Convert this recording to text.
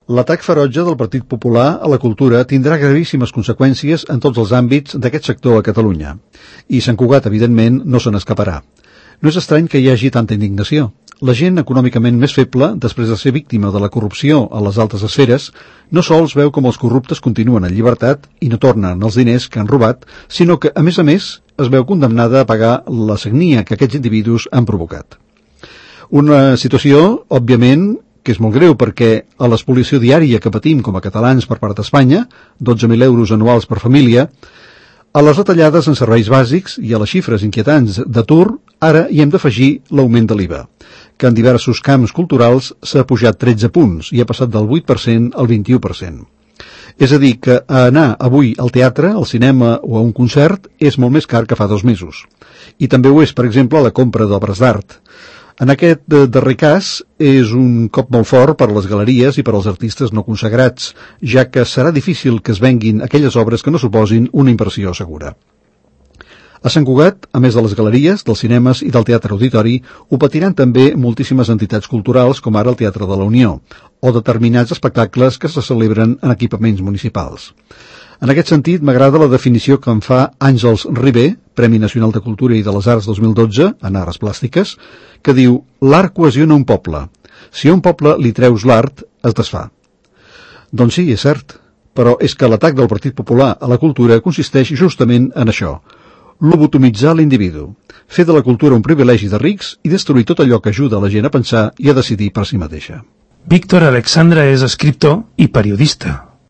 L'atac ferotge del Partit Popular a la cultura tindrà gravíssimes conseqüències en tots els àmbits d'aquest sector a Catalunya. I Sant Cugat, evidentment, no se n'escaparà. No és estrany que hi hagi tanta indignació. La gent econòmicament més feble, després de ser víctima de la corrupció a les altes esferes, no sols veu com els corruptes continuen en llibertat i no tornen els diners que han robat, sinó que, a més, es veu condemnada a pagar la sagnia que aquests individus han provocat. Una situació, òbviament, que és molt greu perquè a l'espoliació diària que patim com a catalans per part d'Espanya, 12.000 euros anuals per família, a les retallades en serveis bàsics i a les xifres inquietants d'atur, ara hi hem d'afegir l'augment de l'IVA, que en diversos camps culturals s'ha pujat 13 punts i ha passat del 8% al 21%. És a dir, que anar avui al teatre, al cinema o a un concert és molt més car que fa 2 mesos. I també ho és, per exemple, la compra d'obres d'art. En aquest darrer cas és un cop molt fort per a les galeries i per als artistes no consagrats, ja que serà difícil que es venguin aquelles obres que no suposin una inversió segura. A Sant Cugat, a més de les galeries, dels cinemes i del teatre auditori, ho patiran també moltíssimes entitats culturals, com ara el Teatre de la Unió, o determinats espectacles que se celebren en equipaments municipals. En aquest sentit, m'agrada la definició que en fa Àngels Ribé, Premi Nacional de Cultura i de les Arts 2012, en arts plàstiques, que diu: l'art cohesiona un poble. Si a un poble li treus l'art, es desfà. Doncs sí, és cert, però és que l'atac del Partit Popular a la cultura consisteix justament en això: lobotomitzar l'individu, fer de la cultura un privilegi de rics i destruir tot allò que ajuda la gent a pensar i a decidir per si mateixa. Víctor Alexandra és escriptor i periodista.